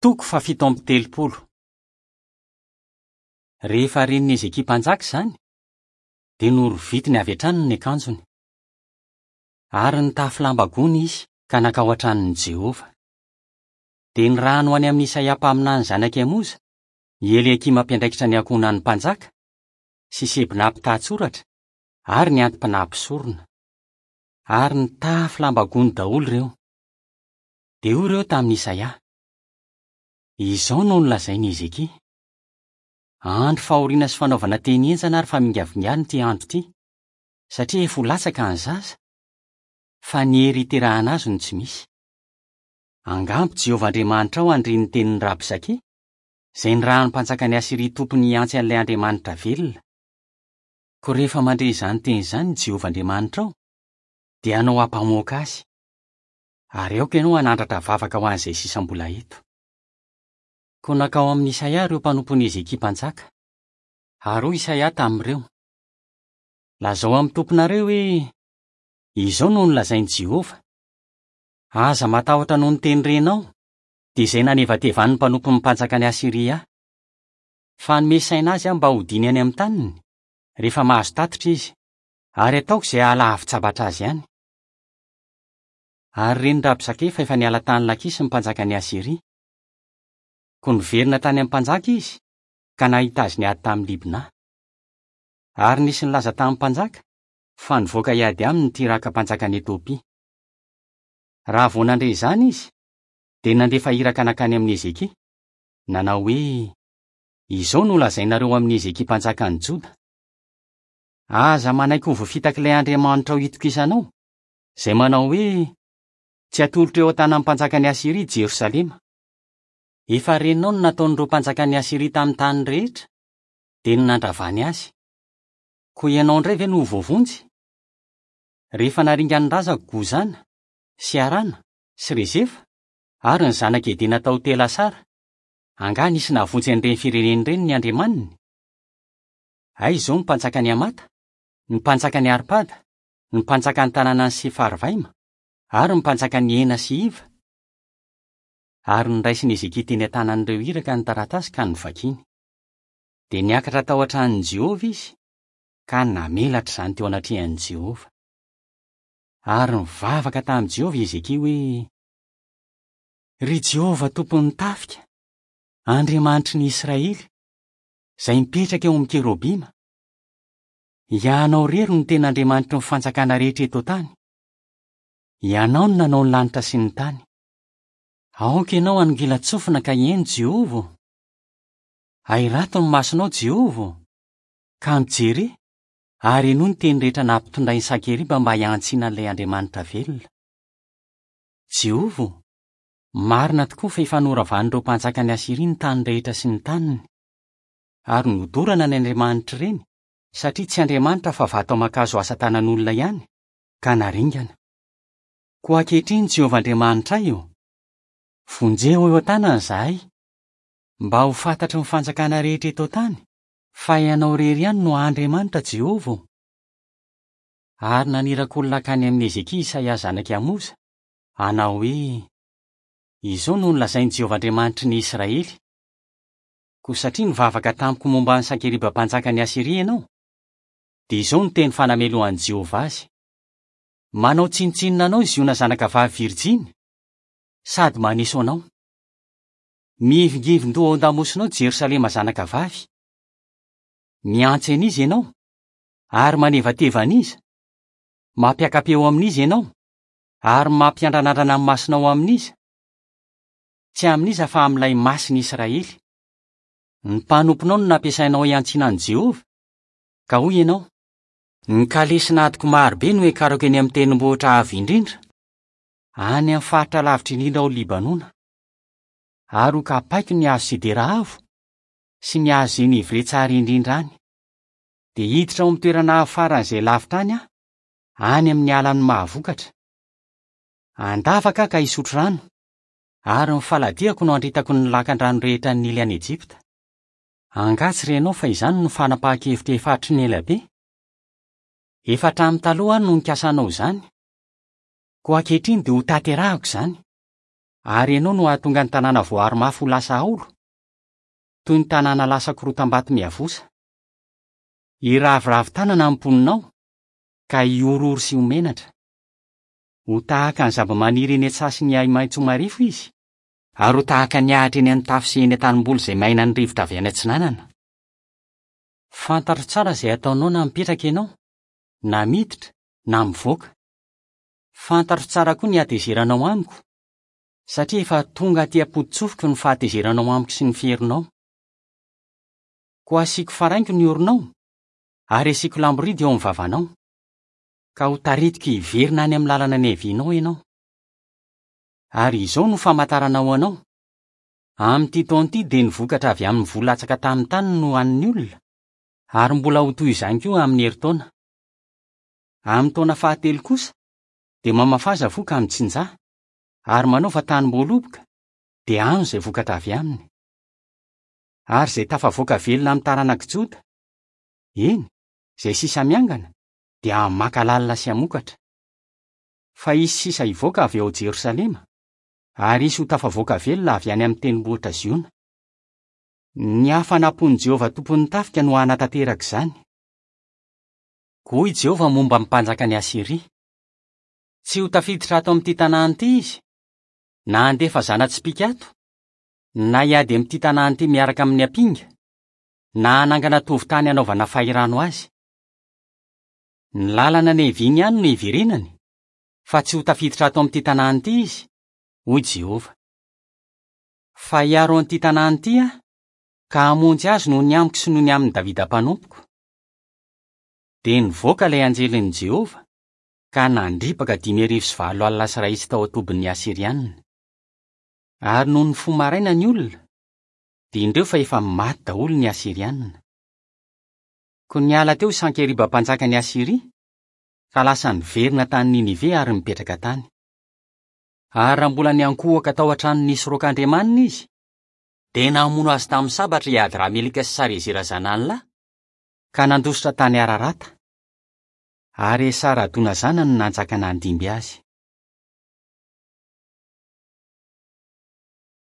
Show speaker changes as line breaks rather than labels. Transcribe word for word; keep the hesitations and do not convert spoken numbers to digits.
Toko fahafito amby telopolo. Rehefa ren'i Hezekia mpanjaka izany, dia norovitiny avy hatrany ny akanjony. Ary nitafy lamba gony izy ka nankao an-tranon'i Jehovah. Dia nirahany ho any amin'i Isaia mpaminany zanak'i Amoza, i Eliakima mpiandraikitra ny ankohonan'ny mpanjaka, sy Sebna mpitantsoratra, ary ny anti-panahy mpisorona. Ary nitafy lamba gony daholo ireo. Dia hoy ireo tamin'i Isaia: Izao no nolazain'i Hezekia: Andro fahoriana sy fanaovana teny henjana ary famingavingana ity andro ity, satria efa ho latsaka ny zaza, fa ny hery hiterahana azy no tsy misy. Angamba Jehovah Andriamanitrao handre ny tenin'i Rabsake, izay nirahan'ny mpanjakan'i Asyria tompony hiantsy an'ilay Andriamanitra velona. Koa rehefa mandre izany teny izany Jehovah Andriamanitrao, dia hanao ampamoaka azy. Ary aoka ianao hanandratra vavaka ho an'izay sisa mbola eto. Koa nankao amin'i Isaia ireo mpanompon'i Hezekia mpanjaka. Ary hoy Isaia tamin'ireo: Lazao amin'ny tomponareo hoe, izao no nolazain'i Jehovah: Aza matahotra noho ny teny renao, dia izay nanevatevan'ny mpanompon'ny mpanjakan'i Asyria ahy. Fa hanome saina azy aho mba hodiany any amin'ny taniny, rehefa mahazo tatitra izy, ary ataoko izay hahalavin-tsabatra azy ihany. Ary ren'i Rabsake fa efa niala tany Lakisy ny mpanjakan'i Asyria. Koa niverina tany amin'ny mpanjaka izy, ka nahita azy niady tamin'i Libna. Ary nisy nilaza tamin'ny mpanjaka fa nivoaka hiady aminy ny Tiraka mpanjakan'i Etiopia. Raha vao nandre izany izy, dia nandefa iraka nankany amin'i Hezekia, nanao hoe: Izao no lazainareo amin'i Hezekia mpanjakan'i Joda: Aza manaiky ho voafitak'ilay Andriamanitrao itokisanao, izay manao hoe: Tsy atolotra eo an-tanan'ny mpanjakan'i Asyria Jerosalema. Efa renao ny nataon'ireo mpanjakan'i Asyria tamin'ny tany rehetra, dia ny nandravany azy. Koa ianao indray ve no ho voavonjy? Rehefa naringan'ny razako Gozana, sy Harana, sy Rezefa, ary ny zanak'i Edena tao Telasara, angaha nisy nahavonjy an'ireny firenena ireny ny andriamaniny? Aiza izao ny mpanjakan'i Hamata, ny mpanjakan'i Arpada, ny mpanjakan'ny tanànan'i Sefarvaima, ary ny mpanjakan'i Hena sy Iva? Ary noraisin'i Hezekia teny an-tanan'ireo iraka ny taratasy ka novakiny. Dia niakatra tao an-tranon'i Jehovah izy, ka namelatra izany teo anatrehan'i Jehovah. Ary nivavaka tamin'i Jehovah i Hezekia hoe: Ry Jehovah tompon'ny tafika, Andriamanitry ny Israely, izay mipetraka eo amin'ny kerobima, Ianao irery no tena Andriamanitry ny fanjakana rehetra eto an-tany. Ianao no nanao ny lanitra sy ny tany. Aoka ianao hanongilan-tsofina ka hihaino, Jehovah. Ahirato ny masonao, Jehovah, ka mijere, ary henoy ny teny rehetra nampitondrain'i Sankeriba mba hiantsiana an'ilay Andriamanitra velona. Jehovah, marina tokoa fa efa noravan'ireo mpanjakan'i Asyria ny tany rehetra sy ny taniny. Ary nodorana ny andriamanitra ireny, satria tsy andriamanitra fa vato aman-kazo asa tanan'olona ihany, ka naringana. Koa ankehitriny Jehovah Andriamanitray ô, vonjeo eo an-tanany izahay, mba ho fantatry ny fanjakana rehetra eto an-tany, fa ianao irery ihany no Andriamanitra Jehovah. Ary naniraka olona hankany amin'i Hezekia Isaia zanak'i Amoza, hanao hoe: Izao no nolazain'i Jehovah Andriamanitry ny Israely: Koa satria nivavaka tamiko momba an'i Sankeriba mpanjakan'i Asyria ianao, dia izao no teny fanamelohan'i Jehovah azy: Manao tsinontsinona anao i Ziona zanakavavy virjiny, sady maneso anao. Mihivingivin-doha ao an-damosinao Jerosalema zanakavavy. Mihantsy an'iza ianao, ary manevateva an'iza? Mampiaka-peo amin'iza ianao, ary mampiandranandrana ny masonao amin'iza? Tsy amin'iza fa amin'ilay Masin'i Israely. Ny mpanomponao no nampiasainao hiantsiana an'i Jehovah, ka hoy ianao: Ny kalesin'adiko marobe no hiakarako eny amin'ny tendrombohitra avo indrindra, any amin'ny faritra lavitra indrindra ao Libanona. Ary ho kapaiko ny hazo sidera avo sy ny hazo zenevre tsara indrindra any. Dia hiditra ao amin'ny toerana avo faran'izay lavitra any aho, any amin'ny alan'ny mahavokatra. Handavaka aho ka hisotro rano, ary ny faladiako no handritako ny lakan-drano rehetra ny Nily any Ejipta. Angaha tsy renao fa izany no fanapahan-kevitra efa hatry ny ela be? Efa hatramin'ny taloha aho no nikasa hanao izany. Koa ankehitriny dia ho tanterahako izany. Ary ianao no hahatonga ny tanàna voaaro mafy ho lasa haolo, toy ny tanàna lasa korotam-bato miavosa. Hiraviravy tanana ny mponinao, ka hihorohoro sy ho menatra. Ho tahaka ny zava-maniry eny an-tsaha sy ny ahi-maitso marefo izy, ary ho tahaka ny ahitra eny an-tafo sy eny an-tanimboly izay mainan'ny rivotra avy any atsinanana. Fantatro tsara izay ataonao na mipetraka ianao, na miditra, na mivoaka. Fantatro tsara koa ny hatezeranao amiko, satria efa tonga aty am-poto-tsofiko ny fahatezeranao amiko sy ny fierinao. Koa asiako faraingo ny oronao, ary asiako lamboridy eo amin'ny vavanao, ka ho taritiko hiverina any amin'ny lalana niavianao ianao. Ary izao no famantarana ho anao: amin'ity taona ity dia ny vokatra avy amin'ny voa latsaka tamin'ny tany no hanin'ny olona, ary mbola ho toy izany koa amin'ny herintaona. Amin'ny taona fahatelo kosa dia mamafaza voa ka mitsinjaha, ary manaova tanim-boaloboka, dia hano izay vokatra avy aminy. Ary izay tafavoaka velona amin'ny taranak'i Joda, eny, izay sisa miangana, dia hamaka lalina sy hamokatra. Fa hisy sisa hivoaka avy ao Jerosalema, ary hisy ho tafavoaka velona avy any amin'ny tendrombohitra Ziona. Ny hafanam-pon'i Jehovah tompon'ny tafika no hanatanteraka izany. Koa hoy Jehovah momba ny mpanjakan'i Asyria: Tsy ho tafiditra ato amin'ity tanàna ity izy, na handefa zana-tsipìka ato, na hiady amin'ity tanàna ity miaraka amin'ny ampinga, na hanangana tovon-tany hanaovana fahirano azy. Ny lalana niaviany ihany no hiverenany, fa tsy ho tafiditra ato amin'ity tanàna ity izy, hoy Jehovah. Fa hiaro an'ity tanàna ity aho, ka hamonjy azy noho ny amiko sy noho ny amin'i Davida mpanompoko. Dia nivoaka ilay anjelin'i Jehovah, ka nandripaka dimy arivo sy valo alina sy iray hetsy tao an-tobin'ny Asyrianina. Ary noho ny fo maraina ny olona, dia indreo fa efa maty daholo ny Asyrianina. Koa niala teo Sankeriba mpanjakan'i Asyria, ka lasa niverina tany Ninive ary nipetraka tany. Ary raha mbola niankohoka tao an-trano nisy roak'andriamaniny izy, dia namono azy tamin'ny sabatra i Adramelika sy Sarezera zanany lahy, ka nandositra tany Ararata. Ary Esaradona zanany no nanjaka nandimby azy.